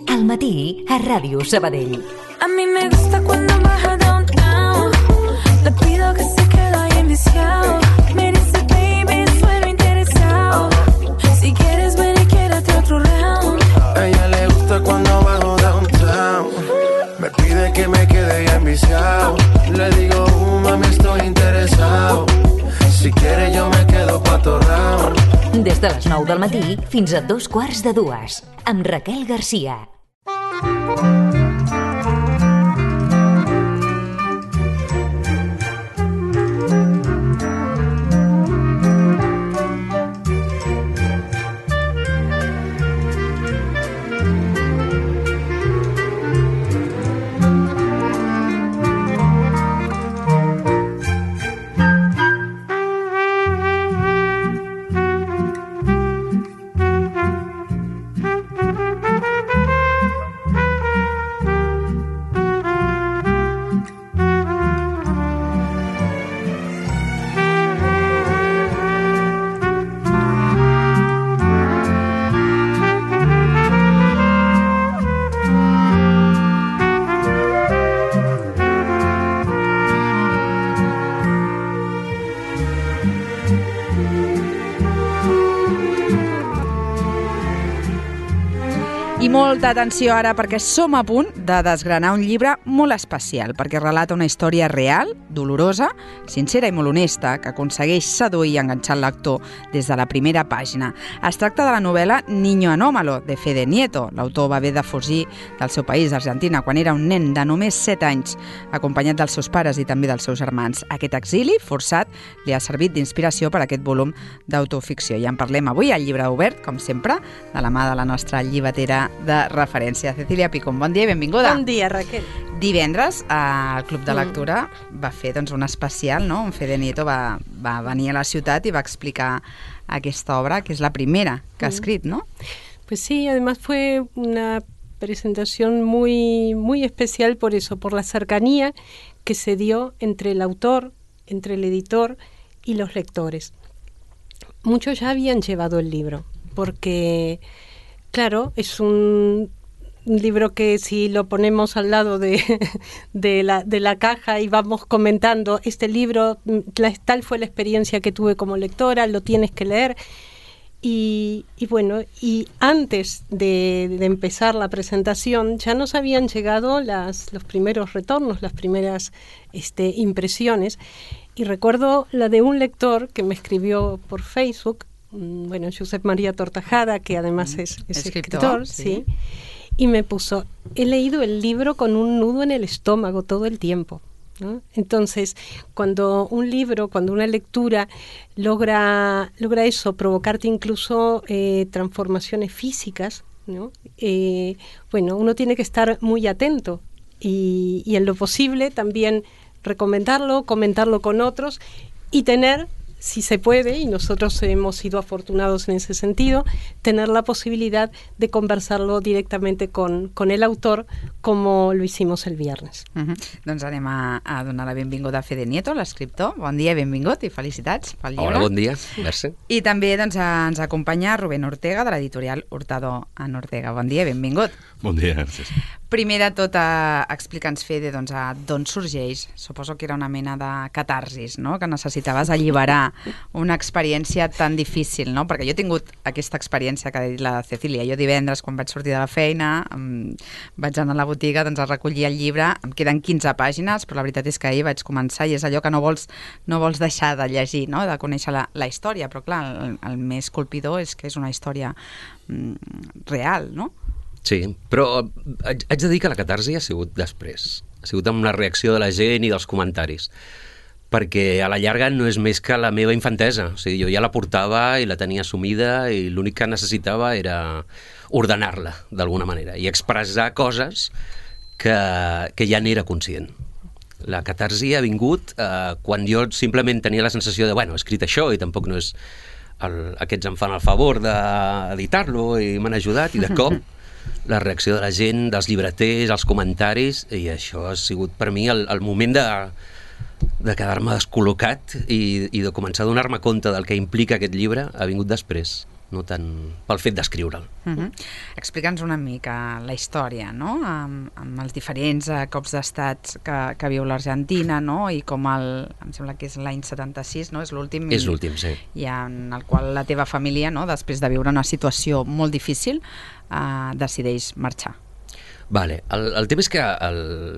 Al matí a Ràdio Sabadell. A mí me gusta cuando baja downtown. Le pido que se quede ahí enviciado. Me dice, baby, suelo interesado. Si quieres ven y quédate otro round. A ella le gusta cuando bajo downtown. Me pide que me quede ya enviciado. Le digo, mami, estoy interesado. Si quiere yo me quedo pa' todo round. Des de les 9 del matí fins a 2:45, amb Raquel Garcia. I molta atenció ara perquè som a punt de desgranar un llibre molt especial perquè relata una història real, dolorosa, sincera i molt honesta que aconsegueix seduir i enganxar el lector des de la primera pàgina. Es tracta de la novel·la Niño Anómalo, de Fede Nieto. L'autor va haver de fugir del seu país, Argentina, quan era un nen de només 7 anys, acompanyat dels seus pares i també dels seus germans. Aquest exili forçat li ha servit d'inspiració per a aquest volum d'autoficció. I en parlem avui al Llibre Obert, com sempre, de la mà de la nostra llibretera de referència. Cecília Picón, bon dia i benvinguda. Bon dia, Raquel. Divendres el Club de Lectura va fer un especial, no? On Fede Nieto va venir a la ciutat i va explicar aquesta obra, que és la primera que ha escrit, ¿no? Pues sí, además fue una presentación muy, muy especial por eso, por la cercanía que se dio entre el autor, entre el editor y los lectores. Muchos ya habían llevado el libro, porque claro, es un libro que si lo ponemos al lado de la caja y vamos comentando, este libro, tal fue la experiencia que tuve como lectora, lo tienes que leer. Y bueno, y antes de empezar la presentación ya nos habían llegado los primeros retornos, las primeras impresiones. Y recuerdo la de un lector que me escribió por Facebook, bueno, Josep María Tortajada, que además es escritor, sí. Y me puso, he leído el libro con un nudo en el estómago todo el tiempo, ¿no? Entonces, cuando un libro, cuando una lectura logra eso, provocarte incluso transformaciones físicas, ¿no? Bueno, uno tiene que estar muy atento y en lo posible también recomendarlo, comentarlo con otros y tener, si se puede, y nosotros hemos sido afortunados en ese sentido, tener la posibilidad de conversarlo directamente con el autor, como lo hicimos el viernes. Doncs anem a donar la benvinguda a Fede Nieto, l'escriptor. Bon dia, benvingut i felicitats pel llibre. Hola, bon dia, merci. I també ens acompanya Rubén Ortega, de l'editorial Hurtado en Ortega. Bon dia, benvingut. Bon dia, gràcies. Primer de tot, explica'ns, Fede, d'on sorgeix. Suposo que era una mena de catarsis, no? Que necessitaves alliberar una experiència tan difícil, no? Perquè jo he tingut aquesta experiència que ha dit la Cecília. Jo divendres, quan vaig sortir de la feina, vaig anar a la botiga a recollir el llibre. Em queden 15 pàgines, però la veritat és que ahir vaig començar i és allò que no vols deixar de llegir, no? De conèixer la història. Però clar, el més colpidor és que és una història real, no? Sí, però haig de dir que la catarsi ha sigut després. Ha sigut amb la reacció de la gent i dels comentaris. Perquè a la llarga no és més que la meva infantesa. O sigui, jo ja la portava i la tenia assumida i l'únic que necessitava era ordenar-la, d'alguna manera, i expressar coses que ja n'era conscient. La catarsi ha vingut quan jo simplement tenia la sensació de, bueno, he escrit això i tampoc no és... Aquests em fan el favor d'editar-lo i m'han ajudat, i de cop la reacció de la gent, dels llibreters, els comentaris, i això ha sigut per mi el moment de quedar-me descol·locat i de començar a donar-me compte del que implica aquest llibre, ha vingut després. no tant pel fet d'escriure'l. Explica'ns una mica la història, no? Amb els diferents cops d'estat que viu l'Argentina, no? I com em sembla que és l'any 76, no? És l'últim. És l'últim, sí. I en el qual la teva família, no? Després de viure una situació molt difícil, decideix marxar. Vale. El tema és que,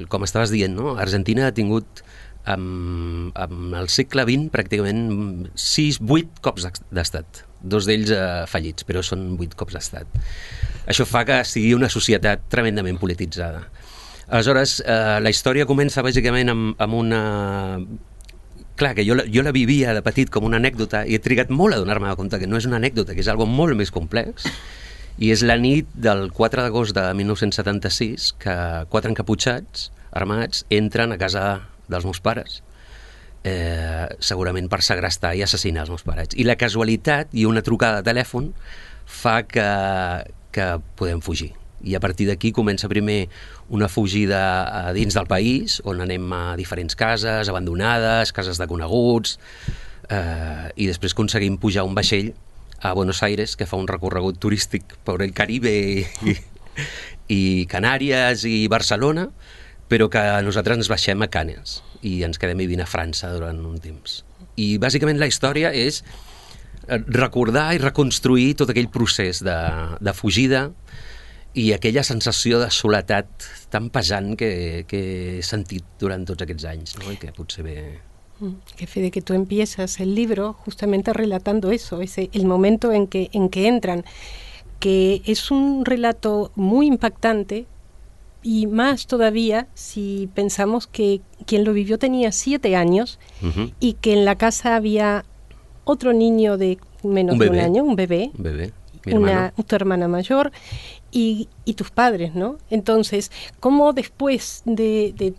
com estaves dient, no? Argentina ha tingut amb el segle XX pràcticament 8 cops d'estat. 2 d'ells fallits, però són 8 cops d'estat. Això fa que sigui una societat tremendament polititzada. Aleshores, la història comença bàsicament amb una... Clar, que jo la vivia de petit com una anècdota i he trigat molt a donar-me compte que no és una anècdota, que és algo molt més complex. I és la nit del 4 d'agost de 1976 que 4 encaputxats armats entren a casa dels meus pares, segurament per segrestar i assassinar els meus pares. I la casualitat i una trucada de telèfon fa que podem fugir. I a partir d'aquí comença primer una fugida dins del país, on anem a diferents cases abandonades, cases de coneguts, i després aconseguim pujar un vaixell a Buenos Aires, que fa un recorregut turístic per el Caribe i Canàries i Barcelona, però que nosaltres ens baixem a Canes i ens quedem vivint a França durant un temps. I bàsicament la història és recordar i reconstruir tot aquell procés de fugida i aquella sensació de soledat tan pesant que he sentit durant tots aquests anys, no? I que potser ve... Que Fede, que tú empiezas el libro justamente relatando eso, el momento en que entran, que es un relato muy impactante, y más todavía si pensamos que quien lo vivió tenía 7 años y que en la casa había otro niño de menos de un año, un bebé, tu hermana mayor y tus padres, ¿no? Entonces, ¿cómo después de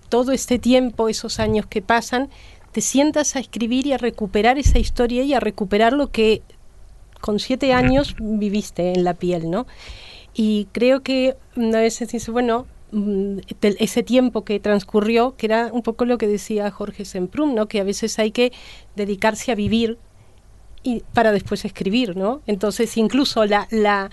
todo este tiempo, esos años que pasan, te sientas a escribir y a recuperar esa historia y a recuperar lo que con 7 años viviste en la piel, ¿no? Y creo que a veces dice, bueno, ese tiempo que transcurrió, que era un poco lo que decía Jorge Semprún, ¿no? Que a veces hay que dedicarse a vivir y para después escribir, ¿no? Entonces incluso la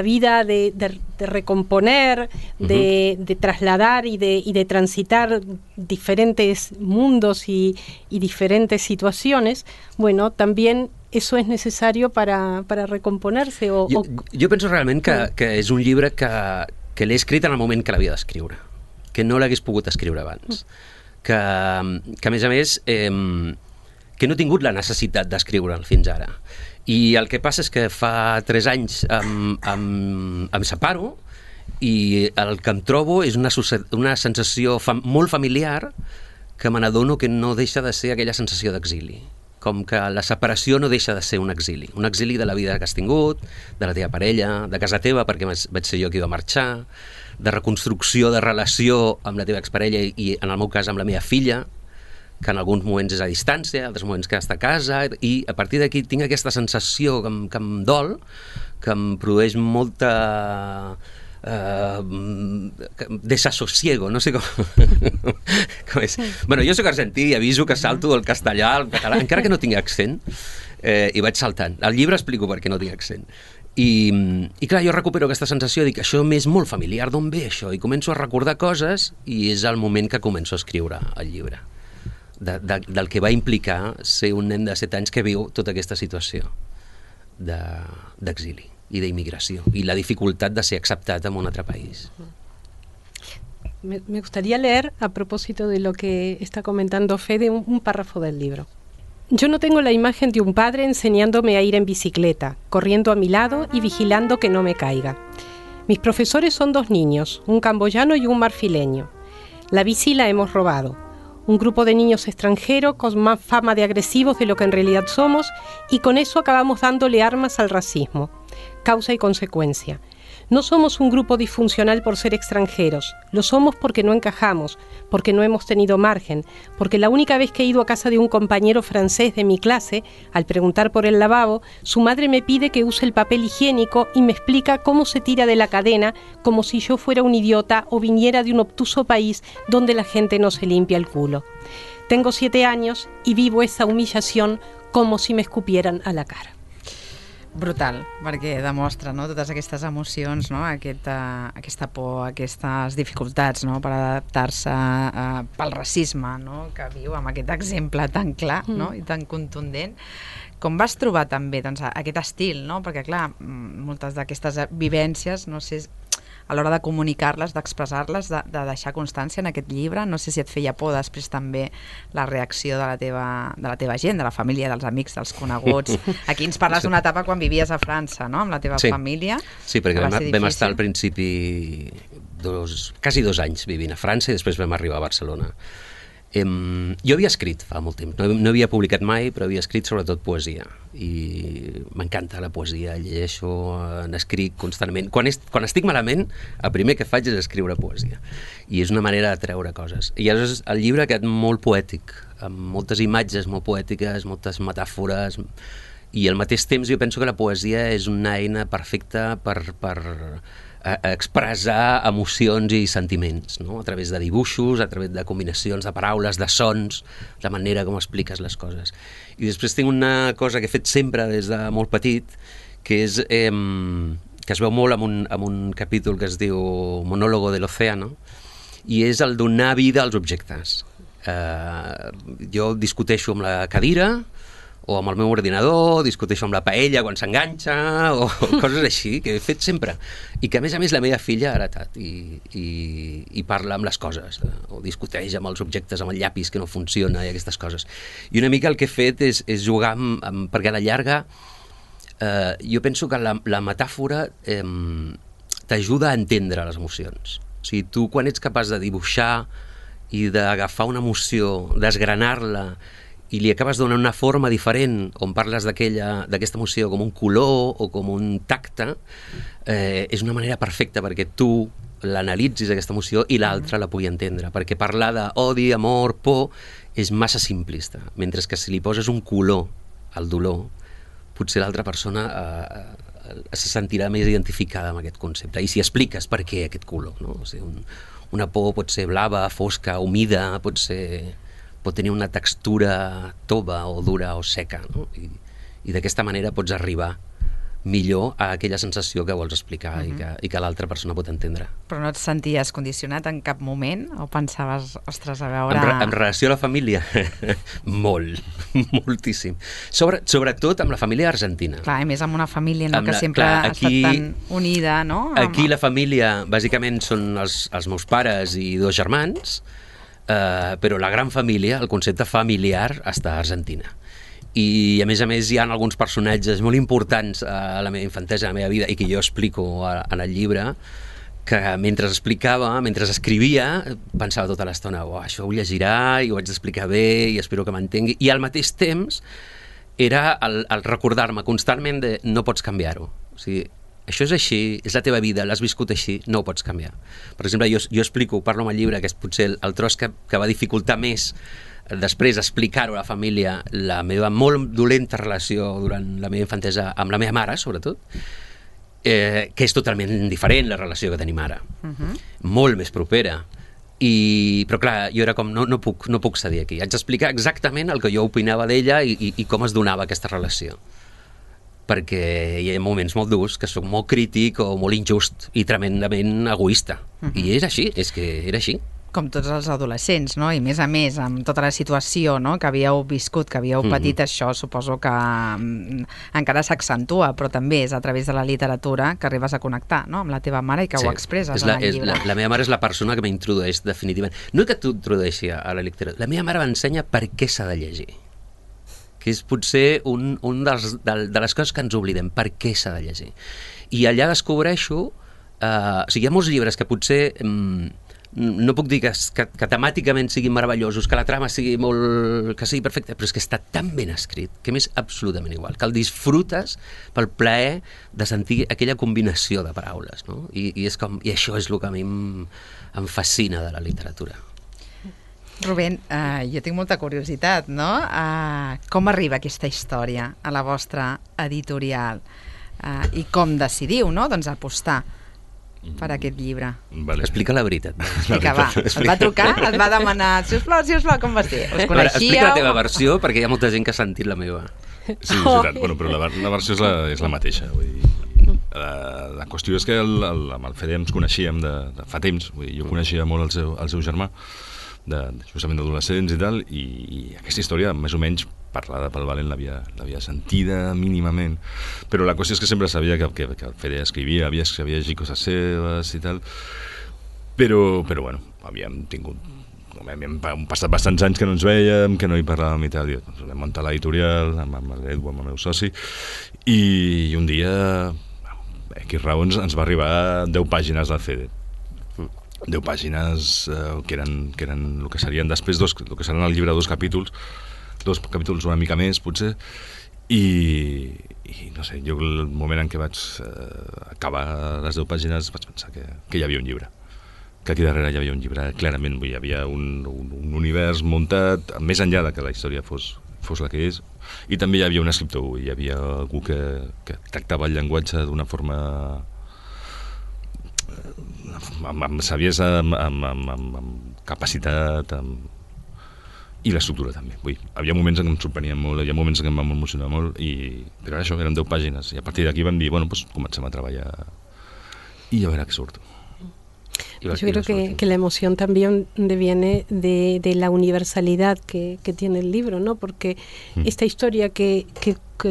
vida de recomponer, de trasladar y de transitar diferentes mundos y diferentes situaciones, bueno, también eso es necesario para recomponerse. Jo penso realment que és un llibre que l'he escrit en el moment que l'havia d'escriure, que no l'hagués pogut escriure abans, que a més, que no he tingut la necessitat d'escriure'l fins ara. I el que passa és que fa 3 anys em separo i el que em trobo és una sensació molt familiar que me n'adono que no deixa de ser aquella sensació d'exili. Com que la separació no deixa de ser un exili de la vida que has tingut, de la teva parella, de casa teva, perquè vaig ser jo qui va marxar, de reconstrucció de relació amb la teva exparella i, en el meu cas, amb la meva filla, que en alguns moments és a distància, altres moments que està a casa, i a partir d'aquí tinc aquesta sensació que em dol, que em produeix molta... desasosiego, no sé com és. Bueno, jo soc argentí i aviso que salto del castellà al català, encara que no tingui accent, i vaig saltant. Al llibre explico per què no tinc accent. I clar, jo recupero aquesta sensació de que això m'és molt familiar, d'on ve això? I començo a recordar coses i és el moment que començo a escriure el llibre. Del que va implicar ser un nen de 7 anys que viu tota aquesta situació d'exili y de inmigración y la dificultad de ser aceptada en un otro país. Me gustaría leer, a propósito de lo que está comentando Fede, un párrafo del libro. Yo no tengo la imagen de un padre enseñándome a ir en bicicleta, corriendo a mi lado y vigilando que no me caiga. Mis profesores son 2 niños, un camboyano y un marfileño. La bici la hemos robado. Un grupo de niños extranjeros con más fama de agresivos de lo que en realidad somos, y con eso acabamos dándole armas al racismo. Causa y consecuencia. No somos un grupo disfuncional por ser extranjeros, lo somos porque no encajamos, porque no hemos tenido margen, porque la única vez que he ido a casa de un compañero francés de mi clase, al preguntar por el lavabo, su madre me pide que use el papel higiénico y me explica cómo se tira de la cadena como si yo fuera un idiota o viniera de un obtuso país donde la gente no se limpia el culo. Tengo 7 años y vivo esa humillación como si me escupieran a la cara. Brutal, perquè demostra, no, totes aquestes emocions, no, aquesta por, aquestes dificultats, no, per adaptar-se pel racisme, no, que viu amb aquest exemple tan clar, no, i tan contundent. Com vas trobar també, doncs, aquest estil, no? Perquè, clar, moltes d'aquestes vivències, no sé, a l'hora de comunicar-les, d'expressar-les, de deixar constància en aquest llibre, no sé si et feia por després també la reacció de la teva gent, de la família, dels amics, dels coneguts. Aquí ens parles d'una etapa quan vivies a França, no?, amb la teva família. Sí, perquè vam estar al principi quasi 2 anys vivint a França i després vam arribar a Barcelona. Jo havia escrit fa molt temps, no havia publicat mai, però havia escrit sobretot poesia i m'encanta la poesia, llegeixo, n'escric constantment. Quan estic malament, el primer que faig és escriure poesia i és una manera de treure coses. I llavors el llibre ha quedat molt poètic, amb moltes imatges molt poètiques, moltes metàfores, i al mateix temps jo penso que la poesia és una eina perfecta per expressar emocions i sentiments, no? A través de dibuixos, a través de combinacions de paraules, de sons, la manera com expliques les coses. I després tinc una cosa que he fet sempre des de molt petit, que és que es veu molt en un capítol que es diu Monólogo del Océano, i és el donar vida als objectes. Jo discuteixo amb la cadira, o amb el meu ordinador, discuteixo amb la paella quan s'enganxa, o coses així, que he fet sempre. I que, a més, la meva filla ha heretat i parla amb les coses, o discuteix amb els objectes, amb el llapis que no funciona i aquestes coses. I una mica el que he fet és jugar perquè a la llarga jo penso que la metàfora t'ajuda a entendre les emocions. O sigui, tu quan ets capaç de dibuixar i d'agafar una emoció, desgranar-la, i li acabes donant una forma diferent on parles d'aquesta emoció com un color o com un tacte, és una manera perfecta perquè tu l'analitzis aquesta emoció i l'altra la pugui entendre, perquè parlar d'odi, amor, por és massa simplista, mentre que si li poses un color al dolor, potser l'altra persona se sentirà més identificada amb aquest concepte, i si expliques per què aquest color, no? O sigui, una por pot ser blava, fosca, humida, pot tenir una textura tova o dura o seca, no? I d'aquesta manera pots arribar millor a aquella sensació que vols explicar i que l'altra persona pot entendre. Però no et senties condicionat en cap moment? O pensaves, ostres, a veure... En relació a la família? Moltíssim. Sobretot amb la família argentina. Clar, i més amb una família, no? Que sempre ha estat tan unida, no? Aquí la família, bàsicament, són els meus pares i 2 germans, però la gran família, el concepte familiar, està a Argentina. I a més hi ha alguns personatges molt importants a la meva infantesa, a la meva vida, i que jo explico en el llibre, que mentre escrivia, pensava tota l'estona, això ho llegirà i ho haig d'explicar bé i espero que m'entengui, i al mateix temps era el recordar-me constantment de no pots canviar-ho. O sigui, això és així, és la teva vida, l'has viscut així, no ho pots canviar. Per exemple, jo explico, parlo amb el llibre, que és potser el tros que va dificultar més després explicar-ho a la família, la meva molt dolenta relació durant la meva infantesa amb la meva mare, sobretot, que és totalment diferent la relació que tenim ara. Molt més propera. Però clar, jo era com, no puc cedir aquí. Haig d'explicar exactament el que jo opinava d'ella i com es donava aquesta relació. Perquè hi ha moments molt durs que soc molt crític o molt injust i tremendament egoista. I és així, és que era així. Com tots els adolescents, no? I més a més, amb tota la situació, no?, que havíeu viscut, que havíeu patit, això suposo que encara s'accentua, però també és a través de la literatura que arribes a connectar, no?, amb la teva mare i que ho expresses en el llibre. La meva mare és la persona que m'introdueix definitivament. No que tu introdueixi a la literatura, la meva mare m'ensenya per què s'ha de llegir, que és potser un de les coses que ens oblidem, per què s'ha de llegir. I allà descobreixo, o sigui, hi ha molts llibres que potser... no puc dir que temàticament siguin meravellosos, que la trama sigui perfecta, però és que està tan ben escrit que m'és absolutament igual, que el disfrutes pel plaer de sentir aquella combinació de paraules, no? I això és el que a mi em fascina de la literatura. Rubén, jo tinc molta curiositat, no? Com arriba aquesta història a la vostra editorial? I com decidiu, no?, doncs apostar per aquest llibre. Vale. Explica la veritat. Explica, va. Et va trucar, et va demanar, sisplau, com vas dir? Us coneixíeu? Explica la teva versió, perquè hi ha molta gent que ha sentit la meva. Sí, és veritat. Bueno, però la versió és la mateixa. Vull dir, la qüestió és que amb el Fede ens coneixíem de fa temps. Vull dir, jo coneixia molt el seu germà, justament d'adolescents i tal, i aquesta història, més o menys, parlada pel Valent l'havia sentida mínimament, però la qüestió és que sempre sabia que el Fede escrivia, havia llegit coses seves i tal, però bueno, havíem passat bastants anys que no ens vèiem, que no hi parlàvem i tal, i doncs vam muntar l'editorial amb l'Edu, amb el meu soci, i un dia, aquí raons, ens va arribar 10 pàgines del Fede. 10 pàgines que eren el que serien després el que seran al llibre dos capítols una mica més potser, i no sé, jo el moment en què vaig acabar les 10 pàgines vaig pensar que hi havia un llibre, que aquí darrere hi havia un llibre, clarament hi havia un univers muntat més enllà de que la història fos la que és, i també hi havia un escriptor, hi havia algú que tractava el llenguatge d'una forma amb saviesa, amb capacitat, i l'estructura també. Vull dir, hi havia moments en què em sorprenien molt, hi havia moments en què em vam emocionar molt, però això, eren 10 pàgines, i a partir d'aquí vam dir, bueno, pues comencem a treballar i a ver què surt. Yo creo que la emoción también viene de la universalidad que tiene el libro, ¿no? Porque esta historia que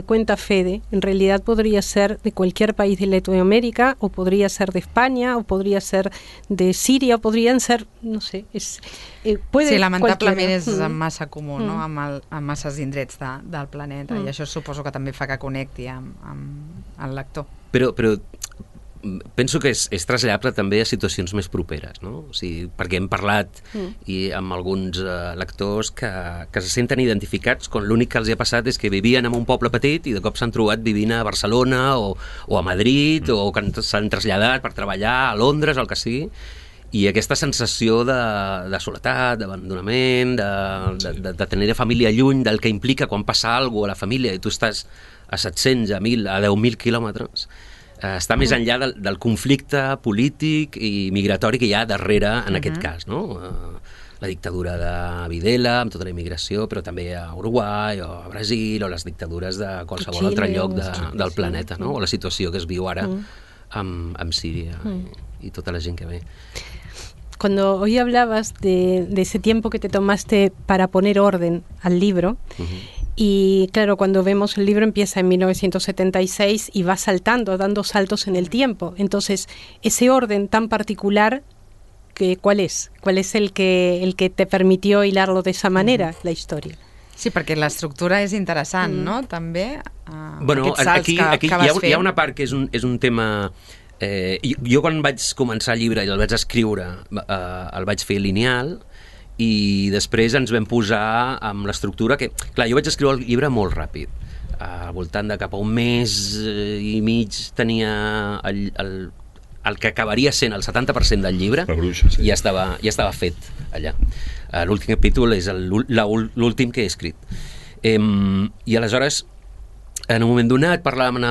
cuenta Fede, en realidad podría ser de cualquier país de Latinoamérica, o podría ser de España, o podría ser de Síria, o podrían ser, no sé, sí, lamentablement és massa comú, no? Amb masses indrets del planeta, i això suposo que també fa que connecti amb el lector. Però penso que és traslladable també a situacions més properes, no? O sigui, perquè hem parlat amb alguns lectors que se senten identificats quan l'únic que els ha passat és que vivien en un poble petit i de cop s'han trobat vivint a Barcelona o a Madrid, o que s'han traslladat per treballar a Londres o el que sigui, i aquesta sensació de soledat, d'abandonament, de tenir la família lluny, del que implica quan passa alguna cosa a la família i tu estàs a 700, a 1.000, a 10.000 quilòmetres, està més enllà del conflicte polític i migratori que hi ha darrere en aquest cas, no? La dictadura de Videla, amb tota la immigració, però també a Uruguai o a Brasil, o les dictadures de qualsevol altre lloc del planeta, no? O la situació que es viu ara amb Síria i tota la gent que ve. Cuando hoy hablabas de ese tiempo que te tomaste para poner orden al libro, y claro, cuando vemos el libro empieza en 1976 y va saltando, dando saltos en el tiempo. Entonces, ese orden tan particular, ¿cuál es? ¿Cuál es el que te permitió hilarlo de esa manera, la història? Sí, perquè l'estructura és interessant, no? També, bueno, aquests salts aquí que vas fent. Hi ha una part que és un tema... jo quan vaig començar el llibre i el vaig escriure el vaig fer lineal, i després ens vam posar amb l'estructura que... Clar, jo vaig escriure el llibre molt ràpid, al voltant de cap a un mes i mig tenia el que acabaria sent el 70% del llibre, i ja estava fet allà. L'últim capítol és l'últim que he escrit. I aleshores, en un moment donat, parlàvem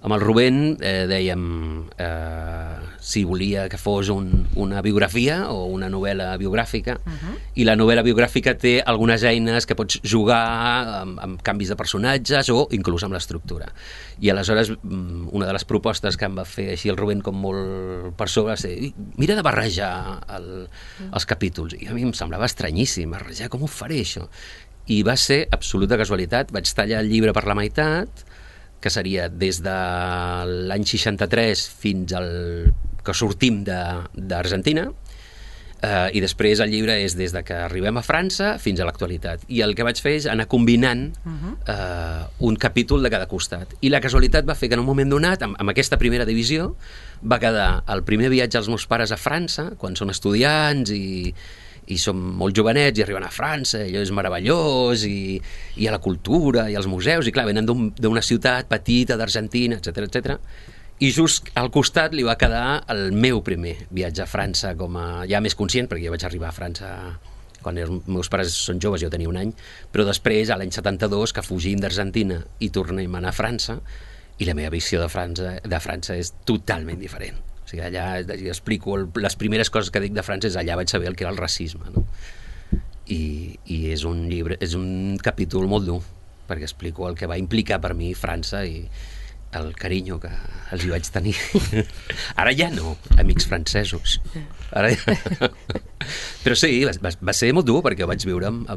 amb el Rubén, dèiem si volia que fos una biografia o una novel·la biogràfica, i la novel·la biogràfica té algunes eines que pots jugar amb canvis de personatges o inclús amb l'estructura. I aleshores una de les propostes que em va fer així el Rubén com molt per sobre va ser, mira de barrejar els capítols, i a mi em semblava estranyíssim barrejar, com ho faré això? I va ser absoluta casualitat, vaig tallar el llibre per la meitat, que seria des de l'any 63 fins al que sortim d'Argentina, i després el llibre és des de que arribem a França fins a l'actualitat. I el que vaig fer és anar combinant un capítol de cada costat. I la casualitat va fer que en un moment donat, amb aquesta primera divisió, va quedar el primer viatge als meus pares a França, quan són estudiants i som molt jovenets i arriben a França, allò és meravellós, i a la cultura i als museus, i clar, venen d'una ciutat petita d'Argentina, etc. I just al costat li va quedar el meu primer viatge a França, com a ja més conscient, perquè jo vaig arribar a França quan els meus pares són joves, jo tenia un any, però després, a l'any 72, que fugim d'Argentina i tornem a anar a França, i la meva visió de França és totalment diferent. O sigui, allà explico les primeres coses que dic de França, allà vaig saber el que era el racisme, no? I és un llibre, és un capítol molt dur, perquè explico el que va implicar per mi França i el carinyo que els hi vaig tenir. Ara ja no, amics francesos. Ara ja... Però sí, va ser molt dur perquè ho vaig viure amb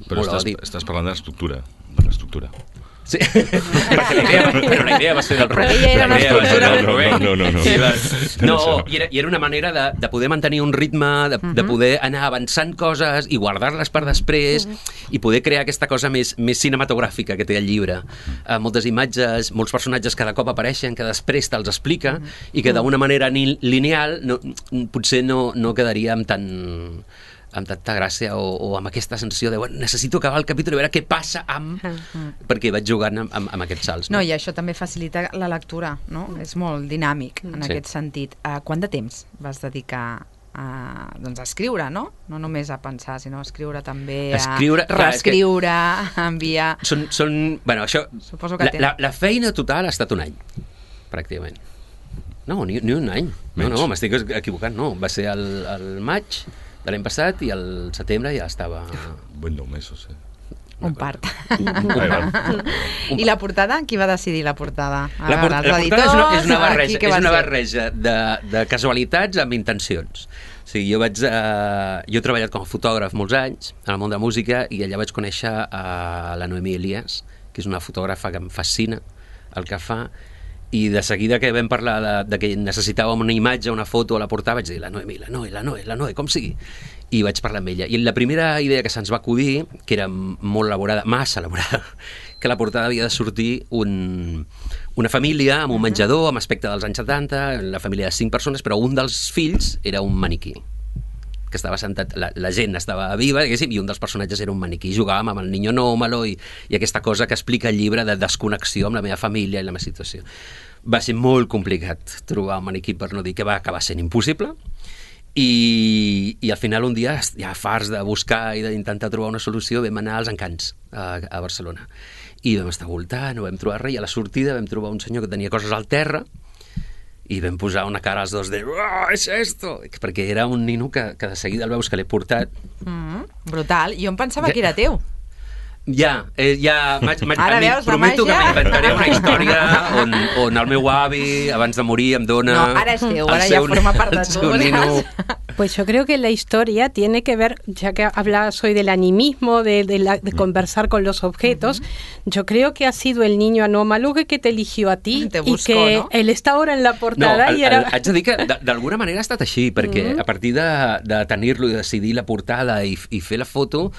Però molt odi. estàs parlant de l'estructura. Sí, perquè la idea va ser del Però ella era una estructura. No, i era una manera de poder mantenir un ritme, de poder anar avançant coses i guardar-les per després i poder crear aquesta cosa més cinematogràfica que té el llibre. Moltes imatges, molts personatges cada cop apareixen, que després te'ls explica i que d'una manera lineal potser no quedaria amb tanta gràcia o amb aquesta sensació de necessito acabar el capítol i veure què passa perquè vaig jugant amb aquests salts. No, i això també facilita la lectura, no? És molt dinàmic en aquest sentit. Quant de temps vas dedicar a escriure, no? No només a pensar, sinó a escriure també, a reescriure, a enviar... Bueno, això... Suposo que la feina total ha estat un any, pràcticament. No, ni un any. No, m'estic equivocant, no. Va ser el maig de l'any passat i al setembre ja estava... Buen 9 mesos, Un part. I la portada? Qui va decidir la portada? La portada és una barreja de casualitats amb intencions. O sigui, jo he treballat com a fotògraf molts anys en el món de la música i allà vaig conèixer a la Noemí Elias, que és una fotògrafa que em fascina el que fa, i de seguida que vam parlar de que necessitàvem una imatge, una foto a la portada, vaig dir la Noe, com sigui. I vaig parlar amb ella. I la primera idea que se'ns va acudir, que era molt elaborada, massa elaborada, que la portada havia de sortir una família amb un menjador, amb aspecte dels anys 70, la família de 5 persones, però un dels fills era un maniquí que estava sentat, la gent estava viva, i un dels personatges era un maniquí. Jugàvem amb el niño anómalo i aquesta cosa que explica el llibre de desconnexió amb la meva família i la meva situació. Va ser molt complicat trobar un maniquí, per no dir que va acabar sent impossible, i al final un dia, ja farts de buscar i d'intentar trobar una solució, vam anar als Encants a Barcelona. I vam estar voltant, no vam trobar res, i a la sortida vam trobar un senyor que tenia coses al terra, i vam posar una cara als dos de és esto, perquè era un nino que de seguida el veus que l'he portat. Brutal, jo em pensava que era teu. Ja Ara veus la prometo que màgia? m'inventaré una història on el meu avi abans de morir em dona... No, ara és teu, ara ja forma part de tu. Pues yo creo que la historia tiene que ver, ya que hablabas hoy del animismo, de conversar con los objetos, yo creo que ha sido el niño anómalo que te eligió a ti te buscó, y que ¿no? él está ahora en la portada. No, y era... haig de dir que d'alguna manera ha estat així, perquè a partir de tenir-lo i decidir la portada i fer la foto,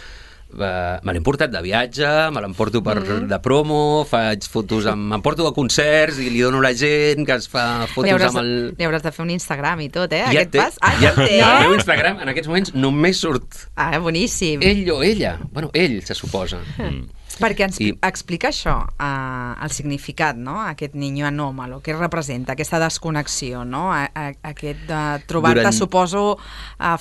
me l'he portat de viatge, me l'emporto de promo, faig fotos m'emporto a concerts i li dono a la gent que es fa fotos amb el... Li hauràs de fer un Instagram i tot, Ja aquest té, pas. Ja té. El meu Instagram en aquests moments només surt Boníssim. ell o ella. Bueno, ell se suposa. Perquè ens explica això, el significat, no? Aquest niño anómalo, què representa, aquesta desconnexió, no? Aquest de trobar-te, suposo,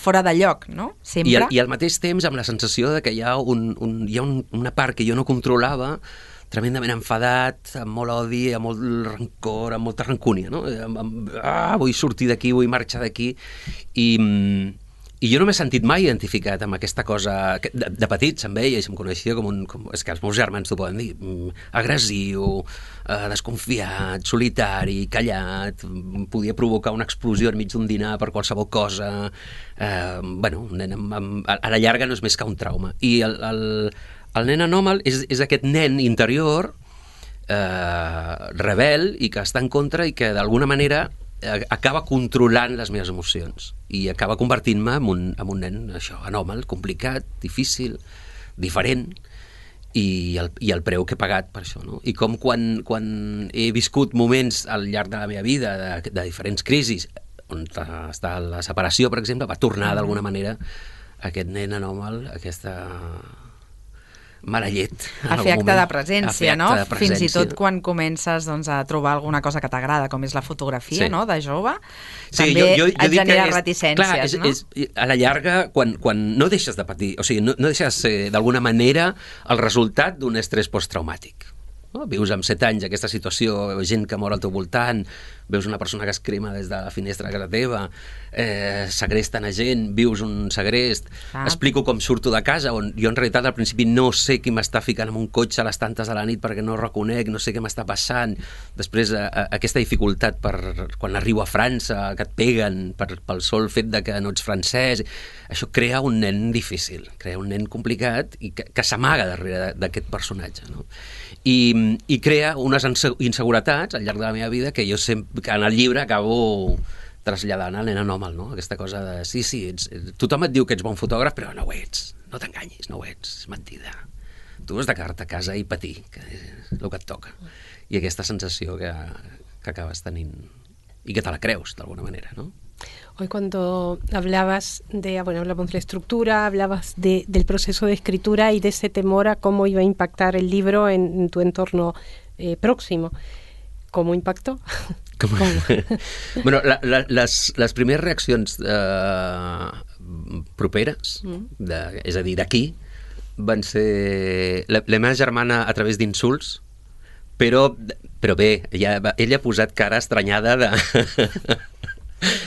fora de lloc, no? Sempre. I al mateix temps amb la sensació de que hi ha una part que jo no controlava, tremendament enfadat, amb molt odi, amb molt rancor, amb molta rancúnia, no? Vull sortir d'aquí, vull marxar d'aquí, i jo no m'he sentit mai identificat amb aquesta cosa de petit, se'm veia i se'm coneixia és que els meus germans t'ho poden dir, agressiu, desconfiat, solitari, callat, podia provocar una explosió enmig d'un dinar per qualsevol cosa, un nen a la llarga no és més que un trauma. I el nen anòmal és aquest nen interior rebel i que està en contra i que d'alguna manera acaba controlant les meves emocions i acaba convertint-me en un nen això, anòmal, complicat, difícil, diferent, i el preu que he pagat per això, no? I com quan he viscut moments al llarg de la meva vida de diferents crisis on està la separació, per exemple, va tornar d'alguna manera aquest nen anòmal, aquesta mala llet. A fer acte de presència, no? Fins i tot quan comences a trobar alguna cosa que t'agrada, com és la fotografia, no?, de jove, també et genera reticències, no? A la llarga, quan no deixes de patir, o sigui, no deixes d'alguna manera el resultat d'un estrès posttraumàtic. Vius amb 7 anys aquesta situació, gent que mor al teu voltant, veus una persona que es crema des de la finestra de casa teva, segresten a gent, vius un segrest, explico com surto de casa, on jo en realitat al principi no sé qui m'està ficant en un cotxe a les tantes de la nit perquè no reconec, no sé què m'està passant, després aquesta dificultat per quan arribo a França, que et peguen pel sol fet de que no ets francès, això crea un nen difícil, crea un nen complicat i que s'amaga darrere d'aquest personatge, no? I crea unes inseguretats al llarg de la meva vida que jo sempre, en el llibre acabo traslladant al nen anòmal, no? Aquesta cosa de, sí, tothom et diu que ets bon fotògraf, però no ho ets, no t'enganyis, no ho ets, és mentida. Tu has de quedar-te a casa i patir, que és el que et toca. I aquesta sensació que acabes tenint y que te la creus de alguna manera, ¿no? Hoy cuando hablabas hablamos de la estructura, hablabas del proceso de escritura y de ese temor a cómo iba a impactar el libro en tu entorno próximo. ¿Cómo impactó? Bueno, les primeres reaccions properes, és a dir, d'aquí, van ser la meva germana a través d'insults, però bé, ella ha posat cara estranyada de...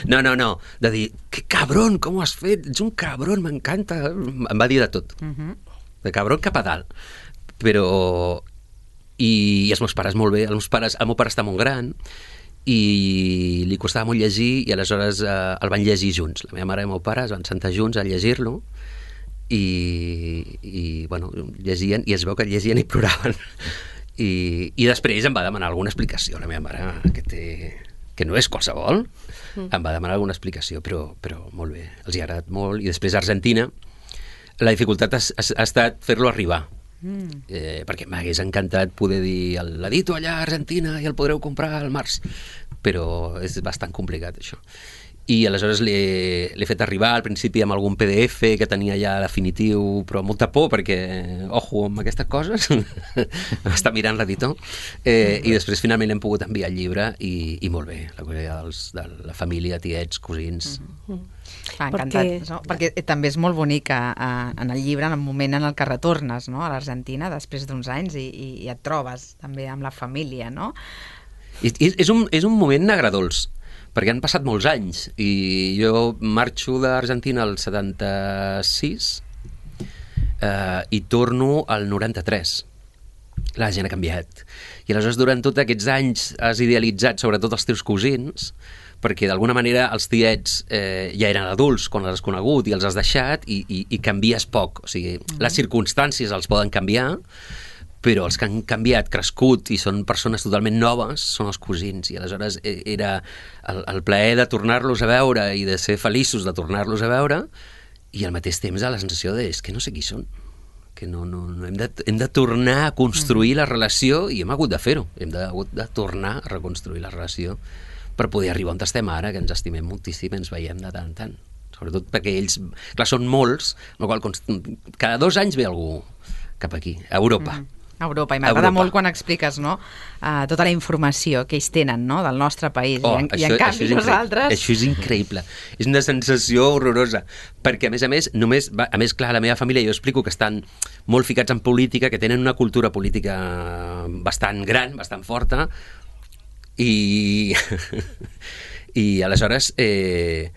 No, de dir, que cabron, com ho has fet? Ets un cabron, m'encanta. Em va dir de tot. De cabron cap a dalt. Però... I els meus pares molt bé. El meu pare està molt gran i li costava molt llegir i aleshores el van llegir junts. La meva mare i el meu pare es van sentar junts a llegir-lo i bueno, llegien i es veu que llegien i ploraven. I després em va demanar alguna explicació. La meva mare, que no és qualsevol, em va demanar alguna explicació, però molt bé, els hi ha agradat molt. I després a Argentina la dificultat ha estat fer-lo arribar, perquè m'hagués encantat poder dir l'edito allà a Argentina i el podreu comprar al març, però és bastant complicat això. I aleshores l'he fet arribar al principi amb algun PDF que tenia ja definitiu, però amb molta por perquè, ojo, amb aquestes coses està mirant l'editor, i després finalment hem pogut enviar el llibre i molt bé, la colla de la família, tiets, cosins. Encantat, no? Perquè també és molt bonic en el llibre, en el moment en el que retornes, no? A l'Argentina després d'uns anys i et trobes també amb la família, no? És un moment agradolç, perquè han passat molts anys i jo marxo d'Argentina al 76 i torno al 93. La gent ha canviat i aleshores durant tots aquests anys has idealitzat sobretot els teus cosins, perquè d'alguna manera els tiets ja eren adults quan els has conegut i els has deixat i canvies poc, o sigui, les circumstàncies els poden canviar, però els que han canviat, crescut i són persones totalment noves són els cosins, i aleshores era el plaer de tornar-los a veure i de ser feliços de tornar-los a veure, i al mateix temps la sensació de és que no sé qui són, que no hem de tornar a construir la relació, i hem hagut de fer-ho, hem hagut de tornar a reconstruir la relació per poder arribar on estem ara, que ens estimem moltíssim, ens veiem de tant en tant, sobretot perquè ells, clar, són molts, amb la qual cada 2 anys ve algú cap aquí, a Europa. Europa, i m'agrada molt quan expliques, no, tota la informació que ells tenen, no, del nostre país, i en canvi nosaltres... Això és increïble, és una sensació horrorosa, perquè a més, clar, la meva família, jo explico que estan molt ficats en política, que tenen una cultura política bastant gran, bastant forta, i aleshores ells...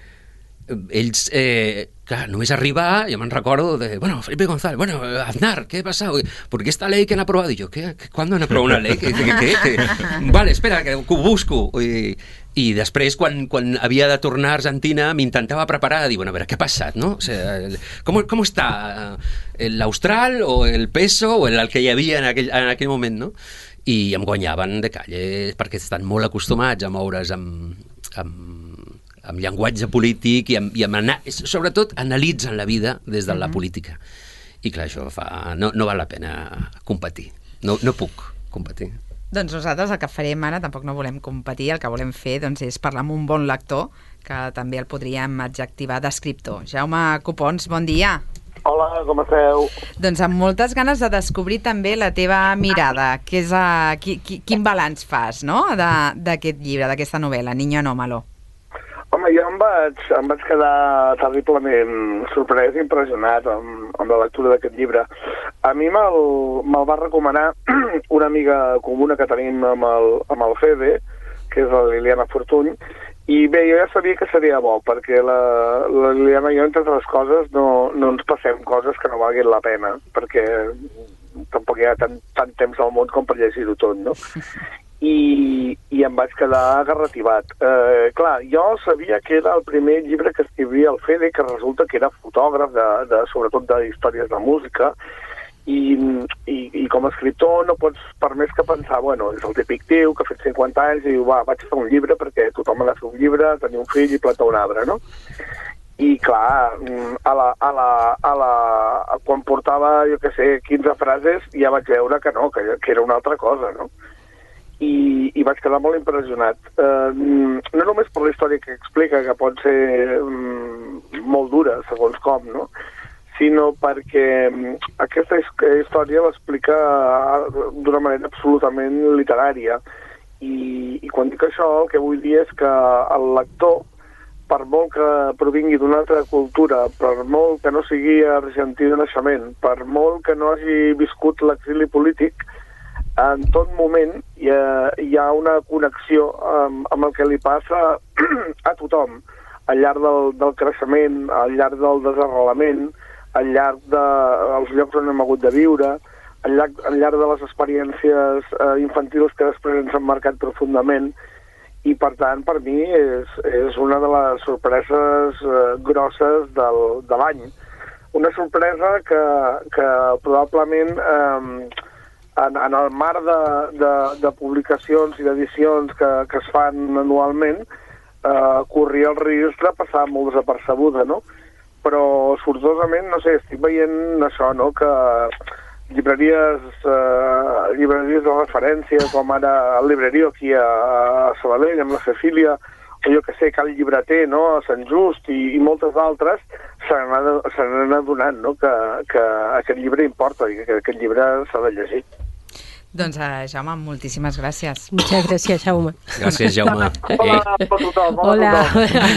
Claro, només arribar, yo me recuerdo de, Felipe González, Aznar, ¿qué ha pasado? ¿Por qué esta ley que han aprobado? Y yo, ¿cuándo han aprobado una ley? ¿Qué? Vale, espera, que ho busco. I després, quan havia de tornar a Argentina, m'intentava preparar, dir, a veure, què ha passat, no? O sea, ¿cómo està l'Austral o el peso o el que hi havia en aquell moment, no? I em guanyaven de calle, perquè estan molt acostumats a moure's amb llenguatge polític i sobretot analitzen la vida des de la política. I clar, això no val la pena competir. No puc competir. Doncs nosaltres el que farem ara, tampoc no volem competir, el que volem fer és parlar amb un bon lector, que també el podríem adjectivar d'escriptor. Jaume Copons, bon dia. Hola, com esteu? Doncs amb moltes ganes de descobrir també la teva mirada, que és quin balanç fas, no?, d'aquest llibre, d'aquesta novel·la, Niño Anómalo. Home, jo em vaig quedar terriblement sorprès i impressionat amb la lectura d'aquest llibre. A mi me'l va recomanar una amiga comuna que tenim amb el Fede, que és la Liliana Fortuny, i bé, jo ja sabia que seria bo, perquè la Liliana i jo, entre altres coses, no ens passem coses que no valguin la pena, perquè tampoc hi ha tant temps al món com per llegir-ho tot, no? I em vaig quedar agarrativat. Clar, jo sabia que era el primer llibre que escrivia el Fede, que resulta que era fotògraf, sobretot d'històries de música, i com a escriptor no pots, per més que pensar, bueno, és el típic tio que ha fet 50 anys i diu, va, vaig fer un llibre perquè tothom ha de fer un llibre, tenir un fill i plantar un arbre, no? I clar, quan portava, jo què sé, 15 frases, ja vaig veure que no, que era una altra cosa, no? I vaig quedar molt impressionat. No només per la història que explica, que pot ser molt dura, segons com, no? Sinó perquè aquesta història l'explica d'una manera absolutament literària. I quan dic això, el que vull dir és que el lector, per molt que provingui d'una altra cultura, per molt que no sigui argentí de naixement, per molt que no hagi viscut l'exili polític, en tot moment hi ha una connexió amb el que li passa a tothom, al llarg del creixement, al llarg del desarrelament, al llarg dels llocs on hem hagut de viure, al llarg de les experiències infantils que després ens han marcat profundament, i per tant, per mi, és una de les sorpreses grosses de l'any. Una sorpresa que probablement en el mar de publicacions i d'edicions que es fan anualment corria el risc de passar molt desapercebuda, no? Però sortosament, no sé, estic veient això, no?, que llibreries de referència, com ara el Librerio aquí a Sabadell, amb la Cecília, o jo que sé, Cal Llibreter, no?, a Sant Just i moltes altres, se n'han adonat, no?, que aquest llibre importa i que aquest llibre s'ha de llegir. Doncs, Jaume, moltíssimes gràcies. Muchas gracias, Jaume. Gracias, Jaume. Hola a tothom. Hola,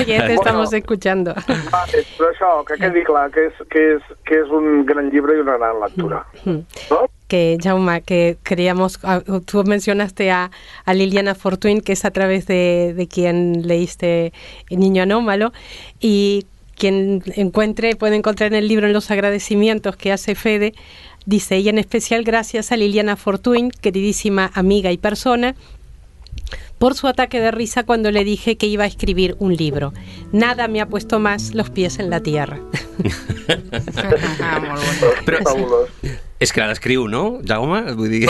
ya te estamos escuchando. Vale, però això, que quedi clar, que és un gran llibre i una gran lectura. ¿No? Que, Jaume, que queríamos, tú mencionaste a Liliana Fortuny, que es a través de quien leíste El Niño Anómalo, y quien puede encontrar en el libro, en los agradecimientos que hace Fede, dice, y en especial gracias a Liliana Fortuny, queridísima amiga y persona, por su ataque de risa cuando le dije que iba a escribir un libro. Nada me ha puesto más los pies en la tierra. Però és que la descriu, no, Jaume? Vull dir...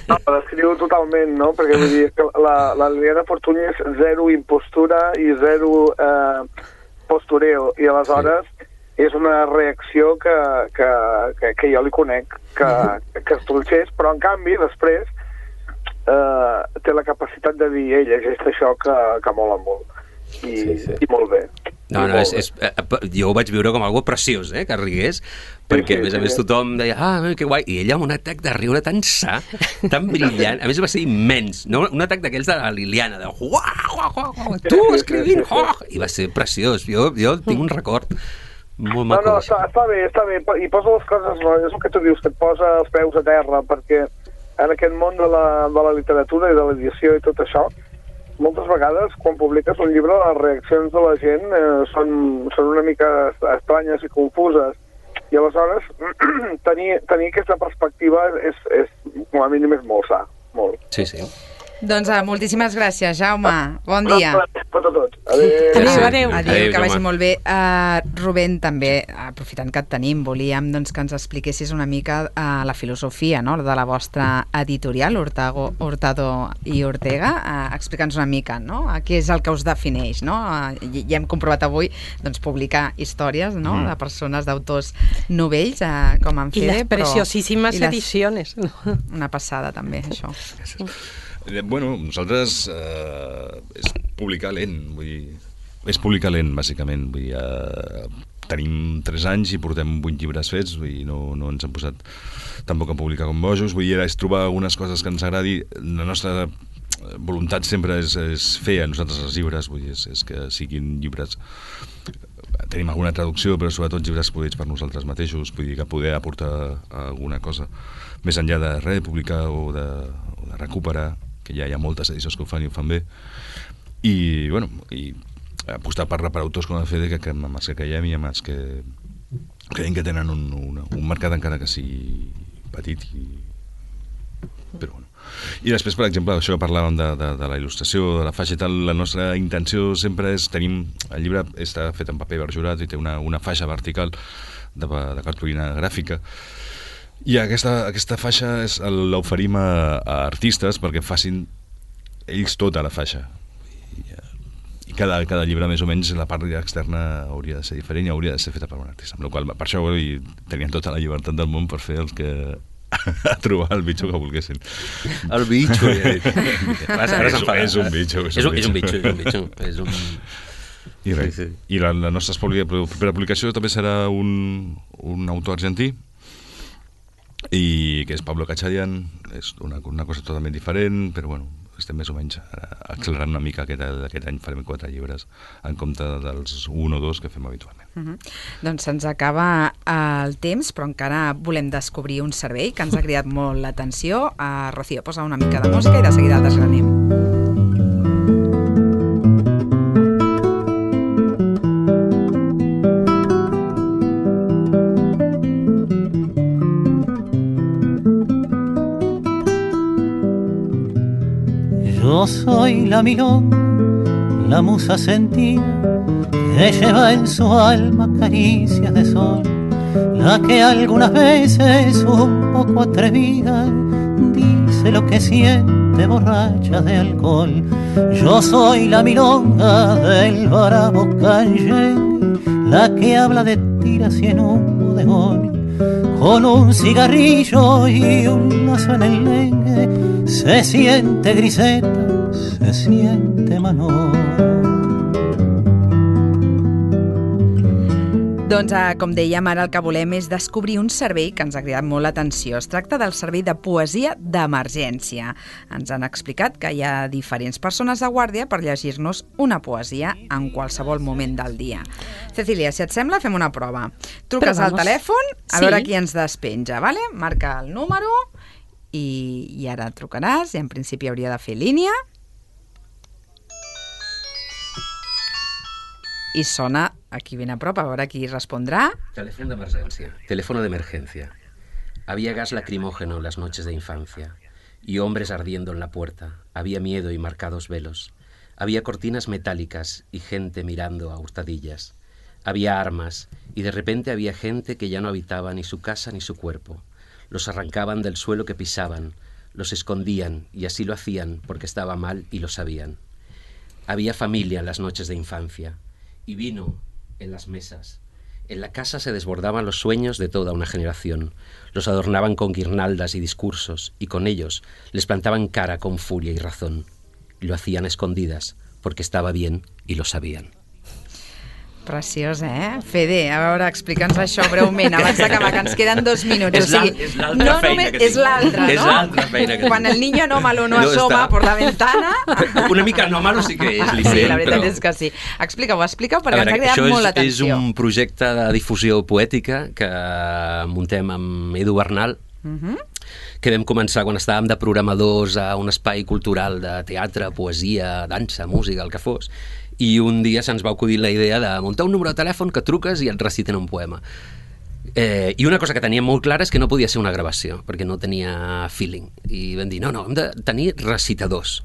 No, la descriu totalment, no? Perquè vull dir que la Liliana Fortuny és zero impostura i zero postureo, i aleshores és una reacció que jo li conec, que es tolxés, però en canvi després té la capacitat de dir, llegeix això que mola molt, i molt bé. No, jo ho vaig viure com algo preciós, que rigués, perquè a més tothom deia, que guai, i ella amb un atac de riure tan sa, tan brillant, a més va ser immens, no? Un atac d'aquells de la Liliana, de tu escrivint, i va ser preciós, jo tinc un record molt maco. No, està bé, i posa les coses, no? És el que tu dius, que et posa els peus a terra, perquè en aquest món de la literatura i de l'edició i tot això, moltes vegades, quan publiques un llibre, les reaccions de la gent són una mica estranyes i confuses. I aleshores, tenir aquesta perspectiva és com a mínim, és molt sa. Molt. Sí. Doncs moltíssimes gràcies, Jaume. Bon dia. Per a tots. Adéu. Adéu, que vagi molt bé. Rubén, també, aprofitant que et tenim, volíem que ens expliquessis una mica la filosofia, no?, de la vostra editorial, Hurtado i Ortega. Explica'ns una mica, no?, què és el que us defineix, no? Ja hem comprovat avui publicar històries, no?, de persones, d'autors novells, com en Fede. I les preciosíssimes edicions. Una passada, també, això. Bueno, nosaltres és publicar lent, vull dir, és publicar lent, bàsicament. Vull dir, tenim 3 anys i portem 8 llibres fets, vull dir, no ens han posat tampoc a publicar com bojos, vull dir, és trobar algunes coses que ens agradi. La nostra voluntat sempre és fer a nosaltres els llibres, vull dir, és que siguin llibres... Tenim alguna traducció, però sobretot llibres produïts per nosaltres mateixos, vull dir, que poder aportar alguna cosa més enllà de publicar o de recuperar, que ja hi ha moltes edicions que ho fan i ho fan bé, i, bueno, i apostar per autors com el Fede, que amb els que creiem i amb els que creiem que tenen un mercat encara que sigui petit, però bueno. I després, per exemple, això que parlàvem de la il·lustració, de la faixa i tal, la nostra intenció sempre és, el llibre està fet en paper verjurat i té una faixa vertical de cartolina gràfica, i aquesta faixa l'oferim a artistes perquè facin ells tota la faixa, i cada llibre més o menys la part externa hauria de ser diferent i hauria de ser feta per un artista, amb la qual per això tenien tota la llibertat del món per fer el que a trobar el bitxo que volguessin. El bitxo, ja he dit. És un bitxo. I res. I la nostra propera publicació també serà un autor argentí, i que és Pablo Cachadian. És una cosa totalment diferent, però bueno, estem més o menys accelerant una mica aquest any. Farem 4 llibres en compte dels 1 o 2 que fem habitualment. Doncs se'ns acaba el temps, però encara volem descobrir un servei que ens ha cridat molt l'atenció. Rocío, posa una mica de música i de seguida el desgranem. Yo soy la milonga, la musa sentida, que lleva en su alma caricias de sol, la que algunas veces un poco atrevida dice lo que siente borracha de alcohol. Yo soy la milonga del bravo canyengue, la que habla de tiras y en un bodegón, con un cigarrillo y un lazo en el lengue. Se siente griseta, se siente Manol. Doncs, com dèiem, ara el que volem és descobrir un servei que ens ha cridat molt l'atenció. Es tracta del servei de poesia d'emergència. Ens han explicat que hi ha diferents persones de guàrdia per llegir-nos una poesia en qualsevol moment del dia. Cecília, si et sembla, fem una prova. Truques al telèfon, a veure qui ens despenja, vale? Marca el número i ara trucaràs, i en principi hauria de fer línia. Y sona aquí bien a prop, a veure qui respondrá. Teléfono de emergencia. Teléfono de emergencia. Había gas lacrimógeno en las noches de infancia y hombres ardiendo en la puerta. Había miedo y marcados velos. Había cortinas metálicas y gente mirando a hurtadillas. Había armas y de repente había gente que ya no habitaba ni su casa ni su cuerpo. Los arrancaban del suelo que pisaban, los escondían y así lo hacían porque estaba mal y lo sabían. Había familia en las noches de infancia y vino en las mesas. En la casa se desbordaban los sueños de toda una generación. Los adornaban con guirnaldas y discursos y con ellos les plantaban cara con furia y razón. Y lo hacían a escondidas porque estaba bien y lo sabían. Preciós, Fede, a veure, explica'ns això breument, abans d'acabar, que ens queden 2 minuts. És l'altra feina que tinc. És l'altra, no? És l'altra feina que tinc. Quan el niño anómalo no asoma por la ventana... Una mica anòmalo sí que és, Sí, la veritat és que sí. Explica-ho, perquè ens ha cridat molt l'atenció. Això és un projecte de difusió poètica que muntem amb Edu Bernal, que vam començar quan estàvem de programadors a un espai cultural de teatre, poesia, dansa, música, el que fos, i un dia se'ns va acudir la idea de muntar un número de telèfon que truques i et reciten un poema. I una cosa que teníem molt clara és que no podia ser una gravació, perquè no tenia feeling. I vam dir, no, hem de tenir recitadors.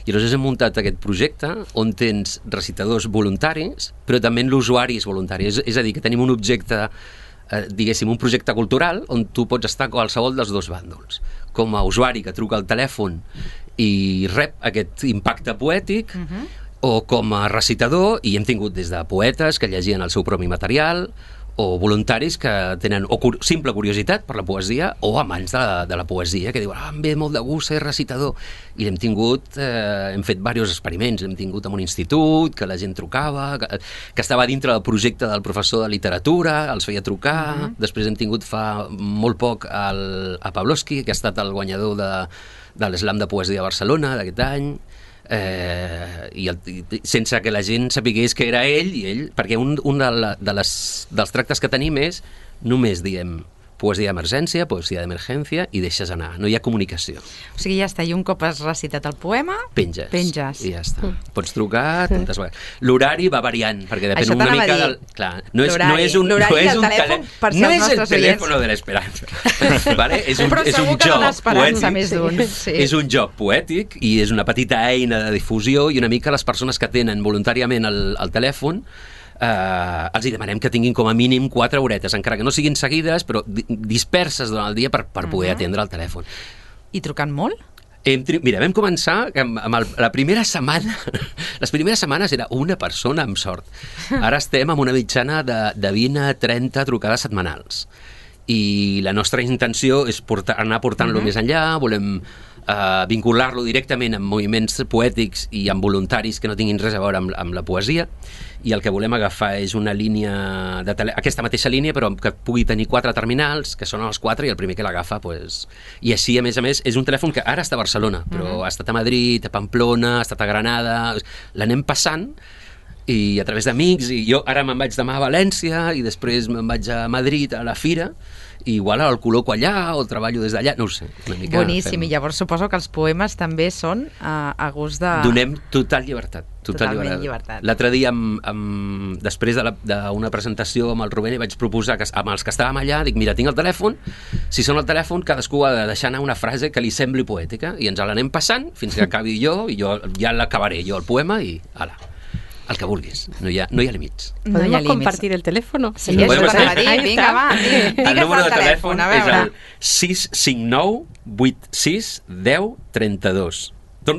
I llavors hem muntat aquest projecte on tens recitadors voluntaris, però també l'usuari és voluntari. És a dir, que tenim un objecte, diguéssim, un projecte cultural on tu pots estar a qualsevol dels dos bàndols. Com a usuari que truca al telèfon i rep aquest impacte poètic, o com a recitador, i hem tingut des de poetes que llegien el seu propi material, o voluntaris que tenen simple curiositat per la poesia, o amants de la poesia, que diuen, em ve molt de gust ser recitador. I hem tingut, hem fet diversos experiments, hem tingut en un institut, que la gent trucava, que estava dintre del projecte del professor de literatura, els feia trucar, després hem tingut fa molt poc a Pavlovsky, que ha estat el guanyador de l'Slam de Poesia de Barcelona d'aquest any, i sense que la gent sapigués que era ell, perquè un dels tractes que tenim és només diem poesia d'emergència, poesia d'emergència, i deixes anar, no hi ha comunicació. O sigui, ja està, i un cop has recitat el poema... Penges. I ja està. Pots trucar tantes vegades. L'horari va variant, perquè depèn una mica del... Clar, no és un telèfon per ser els nostres oients. No és el telèfon de l'esperança. Vale? És un joc poètic. És un joc poètic i és una petita eina de difusió i una mica les persones que tenen voluntàriament el telèfon els hi demanem que tinguin com a mínim 4 horetes, encara que no siguin seguides, però disperses durant el dia per poder atendre el telèfon. I trucant molt? Mira, vam començar amb la primera setmana. Les primeres setmanes era una persona amb sort. Ara estem amb una mitjana de 20 a 30 trucades setmanals. I la nostra intenció és anar portant-lo més enllà, volem vincular-lo directament amb moviments poètics i amb voluntaris que no tinguin res a veure amb la poesia, i el que volem agafar és una línia aquesta mateixa línia, però que pugui tenir 4 terminals, que són els 4 i el primer que l'agafa, pues... I així, a més, és un telèfon que ara està a Barcelona, però ha estat a Madrid, a Pamplona, ha estat a Granada, l'anem passant, i a través d'amics, i jo ara me'n vaig demà a València i després me'n vaig a Madrid a la fira, i igual el col·loco allà o treballo des d'allà, no ho sé. Boníssim, i llavors suposo que els poemes també són a gust de... Donem total llibertat. Totalment llibertat. L'altre dia, després d'una presentació amb el Rubén, vaig proposar amb els que estàvem allà, dic, mira, tinc el telèfon, si sona el telèfon, cadascú ha de deixar anar una frase que li sembli poètica, i ens l'anem passant fins que acabi jo, i jo ja l'acabaré, jo el poema, i ala. El que vulguis, no hi ha límits. ¿Podemos compartir el teléfono? Sí, això t'anava a dir, vinga, va. El número de telèfon és el 659 86 10 32.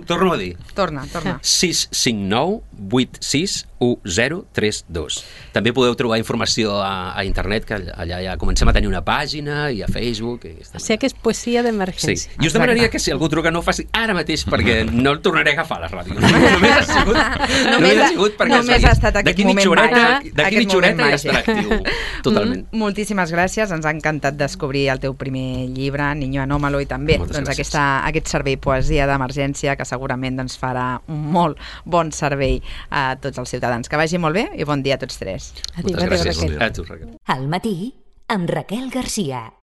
Torno a dir. Torna. 659 86 1032. També podeu trobar informació a internet, que allà ja comencem a tenir una pàgina, i a Facebook. O sigui que és poesia d'emergència. Sí. I us demanaria que si algú truca no ho faci ara mateix, perquè no el tornaré a agafar a la ràdio. Només ha sigut perquè ha estat aquest moment màgic. D'aquí mitja horeta ja estarà actiu. Totalment. Moltíssimes gràcies, ens ha encantat descobrir el teu primer llibre, Niño Anómalo, i també aquest servei Poesia d'Emergència, que segurament farà un molt bon servei a tots els ciutadans. Que vagi molt bé i bon dia a tots tres. Moltes gràcies. Al matí, amb Raquel Garcia.